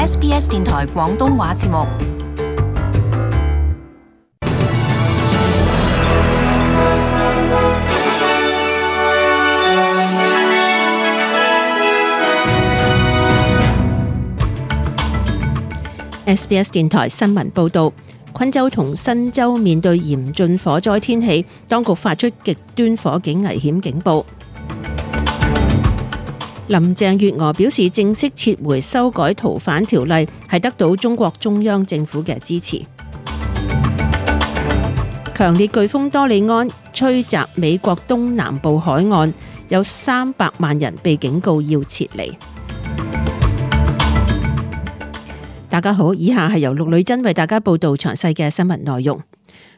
SBS 電台廣東話節目。SBS 電台新聞報導，昆州同新州面對嚴峻火災天氣，當局發出極端火警危險警報。林鄭月娥表示，正式撤回修改逃犯條例係得到中國中央政府嘅支持。強烈颶風多利安吹襲美國東南部海岸，有300萬人被警告要撤離。大家好，以下係由陸女真為大家報道詳細嘅新聞內容。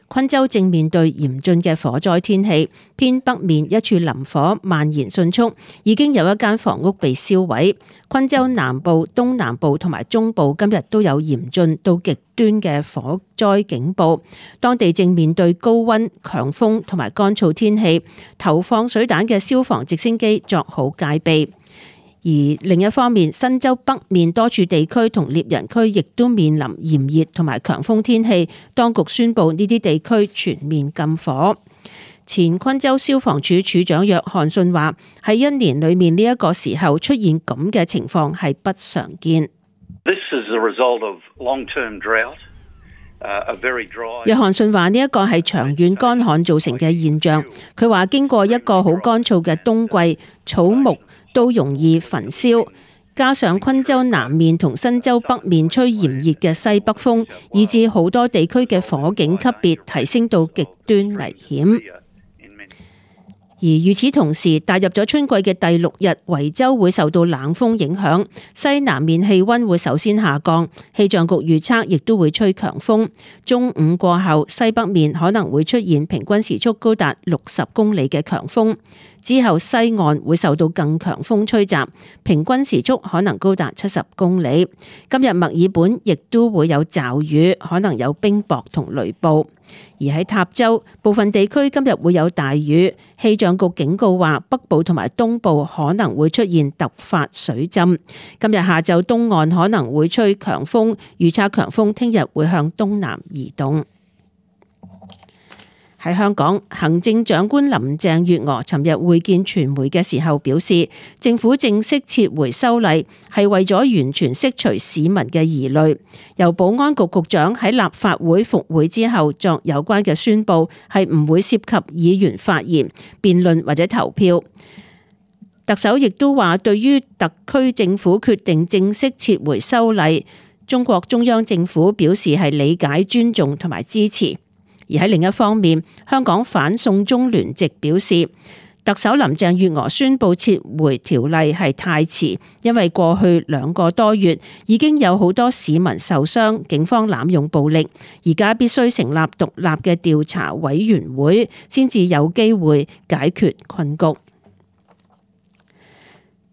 昆州正面對嚴峻嘅火災天氣，偏北面一處林火蔓延迅速，已經有一間房屋被燒毀。昆州南部、東南部同埋中部今日都有嚴峻到極端嘅火災警報，當地正面對高溫、強風同埋乾燥天氣，投放水彈嘅消防直升機作好戒備。而另一方面，新州北面多處地區同獵人區亦都面臨炎熱同埋強風天氣，當局宣布呢啲地區全面禁火。前昆州消防處處長約翰遜話：喺一年裏面呢一個時候出現咁嘅情況係不常見。約翰遜話呢一個係長遠乾旱造成嘅現象。佢話經過一個好乾燥嘅冬季，草木都容易焚燒，加上昆州南面同新州北面吹炎熱嘅西北風，以致好多地區嘅火警級別提升到極端危險。而與此同時，踏入咗春季嘅第6日，維州會受到冷風影響，西南面氣溫會首先下降，氣象局預測亦都會吹強風。中午過後，西北面可能會出現平均時速高達60公里嘅強風。之後西岸會受到更強風吹襲，平均時速可能高達70公里。今日墨爾本亦都會有驟雨，可能有冰雹同雷暴。而喺塔州部分地區今日會有大雨，氣象局警告話北部同埋東部可能會出現突發水浸。今日下晝東岸可能會吹強風，預測強風聽日會向東南移動。喺香港，行政長官林鄭月娥尋日會見傳媒嘅時候表示，政府正式撤回修例係為咗完全釋除市民嘅疑慮。由保安局局長喺立法會復會之後作有關嘅宣佈，係唔會涉及議員發言、辯論或者投票。特首亦都話，對於特區政府決定正式撤回修例，中國中央政府表示係理解、尊重同埋支持。而喺另一方面，香港反送中聯席表示，特首林鄭月娥宣布撤回條例係太遲，因為過去2個多月已經有好多市民受傷，警方濫用暴力，而家必須成立獨立嘅調查委員會，先至有機會解決困局。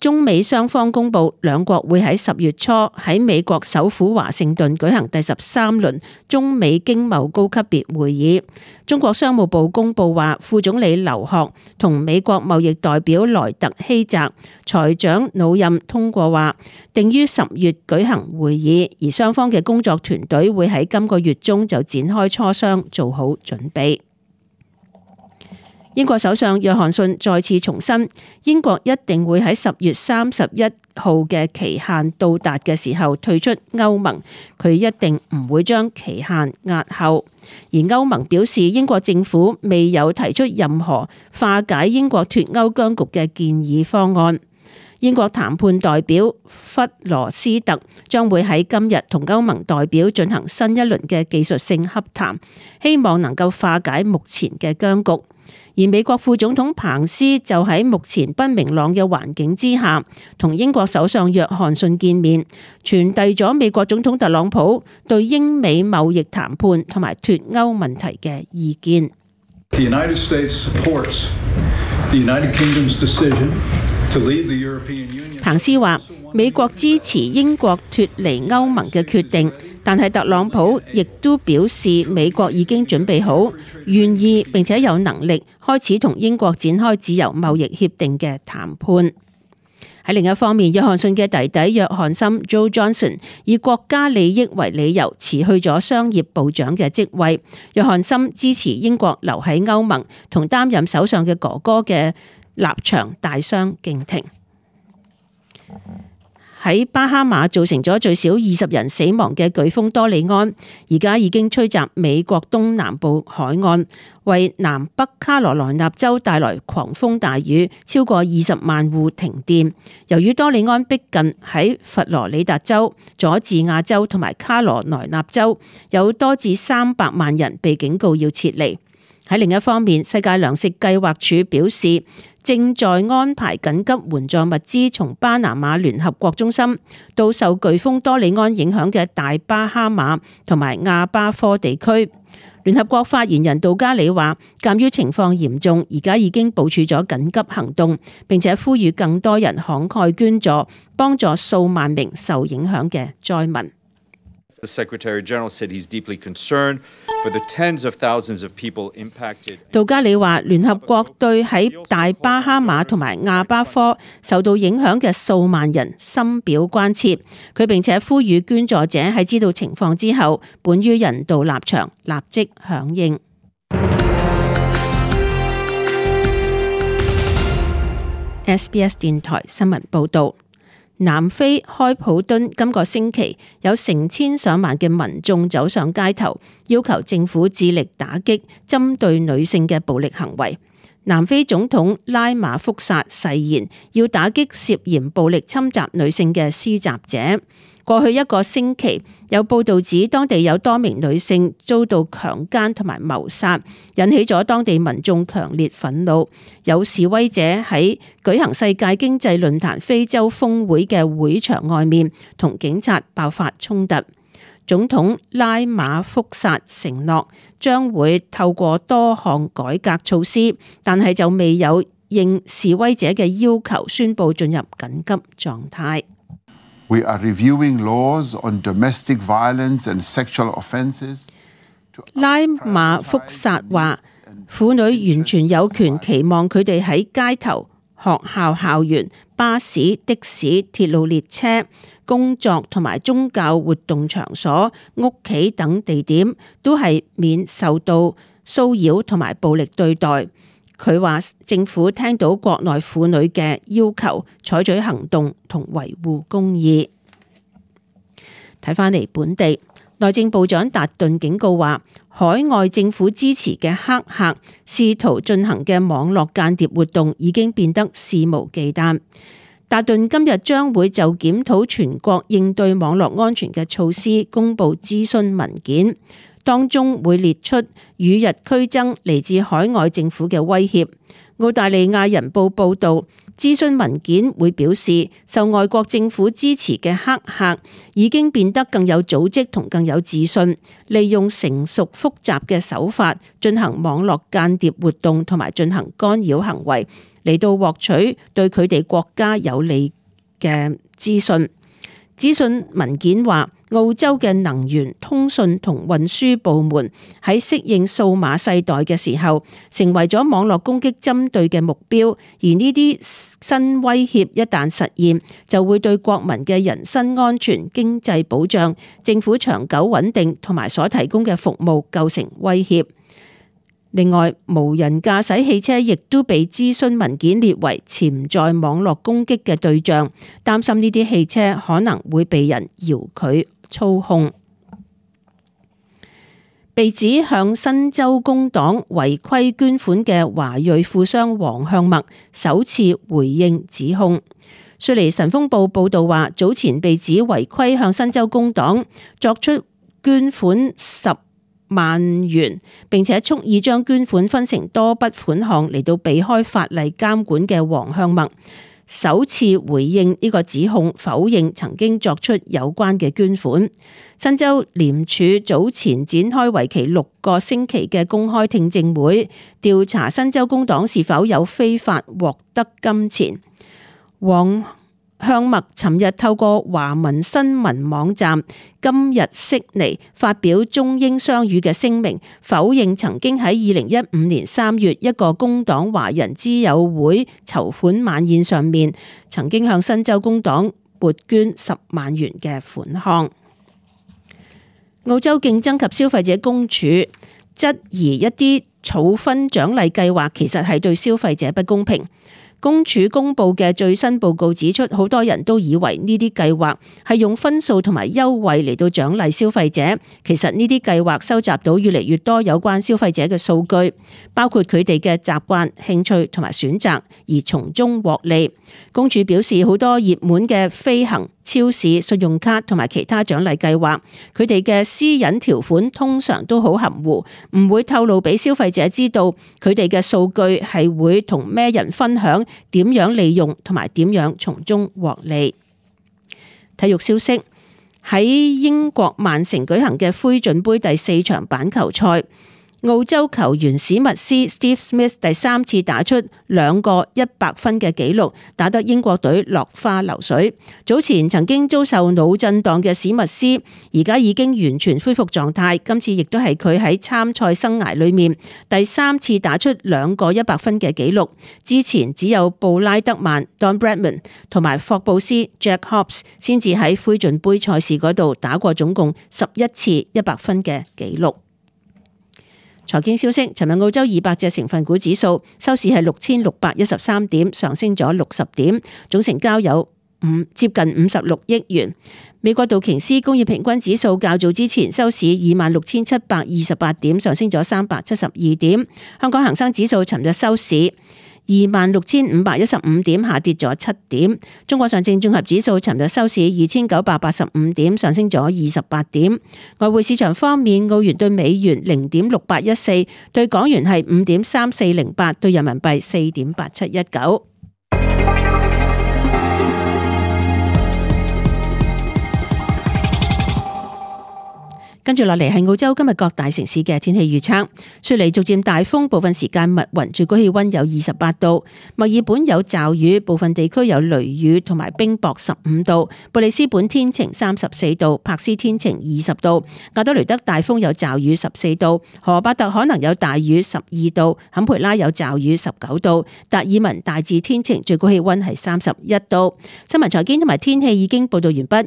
中美雙方公布，兩國會喺10月初喺美國首府華盛頓舉行第13輪中美經貿高級別會議。中國商務部公布話，副總理劉鶴同美國貿易代表萊特希澤、財長努任通過話，定於10月舉行會議，而雙方嘅工作團隊會喺今個月中就展開磋商，做好準備。英國首相約翰遜再次重申，英國一定會喺10月31號嘅期限到達嘅時候退出歐盟，佢一定唔會將期限押後。而歐盟表示，英國政府未有提出任何化解英國脫歐僵局嘅建議方案。英國談判代表弗羅斯特將會喺今日同歐盟代表進行新一輪嘅技術性洽談，希望能夠化解目前嘅僵局。而美國副總統彭斯就喺目前不明朗嘅環境之下，同英國首相約翰遜見面，傳遞咗美國總統特朗普對英美貿易談判同埋脫歐問題嘅意見。彭斯話：美國支持英國脫離歐盟嘅決定，但係特朗普亦都表示美國已經準備好、願意並且有能力開始同英國展開自由貿易協定嘅談判。喺另一方面，約翰遜嘅弟弟約翰森 Joe Johnson 以國家利益為理由辭去咗商業部長嘅職位。約翰森支持英國留喺歐盟同擔任首相嘅哥哥嘅立場大相徑庭。喺巴哈馬造成咗最少20人死亡嘅颶風多利安，而家已經吹襲美國東南部海岸，為南北卡羅來納州帶來狂風大雨，超過20萬戶停電。由於多利安逼近，喺佛羅里達州、佐治亞州同埋卡羅來納州，有多至300萬人被警告要撤離。喺另一方面，世界糧食計劃署表示，正在安排緊急援助物資從巴拿馬聯合國中心到受颶風多利安影響嘅大巴哈馬同埋亞巴科地區。聯合國發言人杜加里話，鑑於情況嚴重，而家已經部署咗緊急行動，並且呼籲更多人慷慨捐助，幫助數萬名受影響嘅災民。The Secretary General said he's deeply concerned for the tens of thousands of people impacted. 杜加里話，聯合國對喺大巴哈馬同埋亞巴科受到影響嘅數萬人深表關切。佢並且呼籲捐助者喺知道情況之後，本於人道立場，立即響應。SBS 電台新聞報導。南非開普敦今個星期有成千上萬嘅民眾走上街頭，要求政府致力打擊針對女性嘅暴力行為。南非總統拉馬福薩誓言要打擊涉嫌暴力侵襲女性嘅施襲者。過去一個星期，有報道指當地有多名女性遭到強姦同埋謀殺，引起咗當地民眾強烈憤怒。有示威者喺舉行世界經濟論壇非洲峰會嘅會場外面同警察爆發衝突。總統拉馬福薩承諾將會透過多項改革措施，但係就未有應示威者嘅要求宣布進入緊急狀態。We are reviewing laws on domestic violence and sexual offenses. 拉馬福薩話，婦女完全有權期望佢哋喺街頭、學校校園、巴士、的士、鐵路列車、工作同埋宗教活動場所、屋企等地點都係免受到騷擾同埋暴力對待。佢話政府聽到國內婦女嘅要求，採取行動同維護公義。睇返嚟本地，內政部長達頓警告話，海外政府支持嘅黑客試圖進行嘅網絡間諜活動已經變得肆無忌憚。達頓今日將會就檢討全國應對網絡安全嘅措施公布諮詢文件。當中會列出與日俱增嚟自海外政府嘅威脅。澳大利亞人報報導，諮詢文件會表示，受外國政府支持嘅黑客已經變得更有組織同更有自信，利用成熟複雜嘅手法進行網絡間諜活動同埋進行干擾行為，嚟到獲取對佢哋國家有利嘅資訊。諮詢文件話，澳洲嘅能源、通訊同運輸部門喺適應數碼世代嘅時候，成為咗網絡攻擊針對嘅目標。而呢啲新威脅一旦實現，就會對國民嘅人身安全、經濟保障、政府長久穩定同埋所提供嘅服務構成威脅。另外，無人駕駛汽車亦都被諮詢文件列為潛在網絡攻擊嘅對象，擔心呢啲汽車可能會被人遙距操控。被指向新州工黨違規捐款嘅華裔富商黃向默首次回應指控。雪梨晨鋒報報道話，早前被指違規向新州工黨作出捐款10萬元，並且蓄意將捐款分成多筆款項嚟到避開法例監管嘅黃向默，首次回應呢個指控，否認曾經作出有關嘅捐款。新州廉署早前展開為期6個星期嘅公開聽證會，調查新州工黨是否有非法獲得金錢。黃向默尋日透過華文新聞網站今日悉尼發表中英雙語嘅聲明，否認曾經喺2015年3月一個工黨華人之友會籌款晚宴上面，曾經向新州工黨撥捐10萬元嘅款項。澳洲競爭及消費者公署質疑一啲儲分獎勵計劃其實係對消費者不公平。公署公布嘅最新報告指出，好多人都以為呢啲計劃係用分數同埋優惠嚟到獎勵消費者，其實呢啲計劃收集到越嚟越多有關消費者嘅數據，包括佢哋嘅習慣、興趣同埋選擇，而從中獲利。公署表示，好多熱門嘅飛行、超市、信用卡同埋其他獎勵計劃，佢哋嘅私隱條款通常都好含糊，唔會透露俾消費者知道佢哋嘅數據係會同咩人分享，點樣利用同埋點樣從中獲利。體育消息，喺英國曼城舉行嘅灰進杯第4場板球賽，澳洲球員史密斯 Steve Smith 第3次打出2個100分嘅紀錄，打得英國隊落花流水。早前曾經遭受腦震盪嘅史密斯，而家已經完全恢復狀態。今次亦都係佢喺參賽生涯裏面第3次打出2個100分嘅紀錄。之前只有布拉德曼 Don Bradman 同埋霍布斯 Jack Hobbs 先至喺灰進杯賽事嗰度打過總共11次100分嘅紀錄。財經消息，尋日澳洲200隻成分股指數收市係6613點，上升咗60點，總成交有接近56億元。美國道瓊斯工業平均指數較早之前收市26728點，上升咗372點。香港恒生指數尋日收市26515點，下跌咗7點。中國上證綜合指數尋日收市2985點，上升咗28點。外匯市場方面，澳元對美元0.6814，對港元係5.3408，對人民幣4.8719。跟住落嚟係澳洲今日各大城市嘅天氣預測。雪梨逐漸大風，部分時間密雲，最高氣溫有28度。墨爾本有驟雨，部分地區有雷雨同埋冰雹15度。布里斯本天晴34度，柏斯天晴20度。亞德雷德大風有驟雨14度，荷伯特可能有大雨12度，坎培拉有驟雨19度。達爾文大致天晴，最高氣溫係31度。新聞財經同埋天氣已經報道完畢。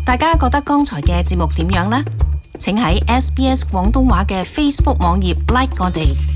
大家覺得剛才嘅節目點樣呢？請喺SBS 廣東話嘅 Facebook 網頁 like 我哋。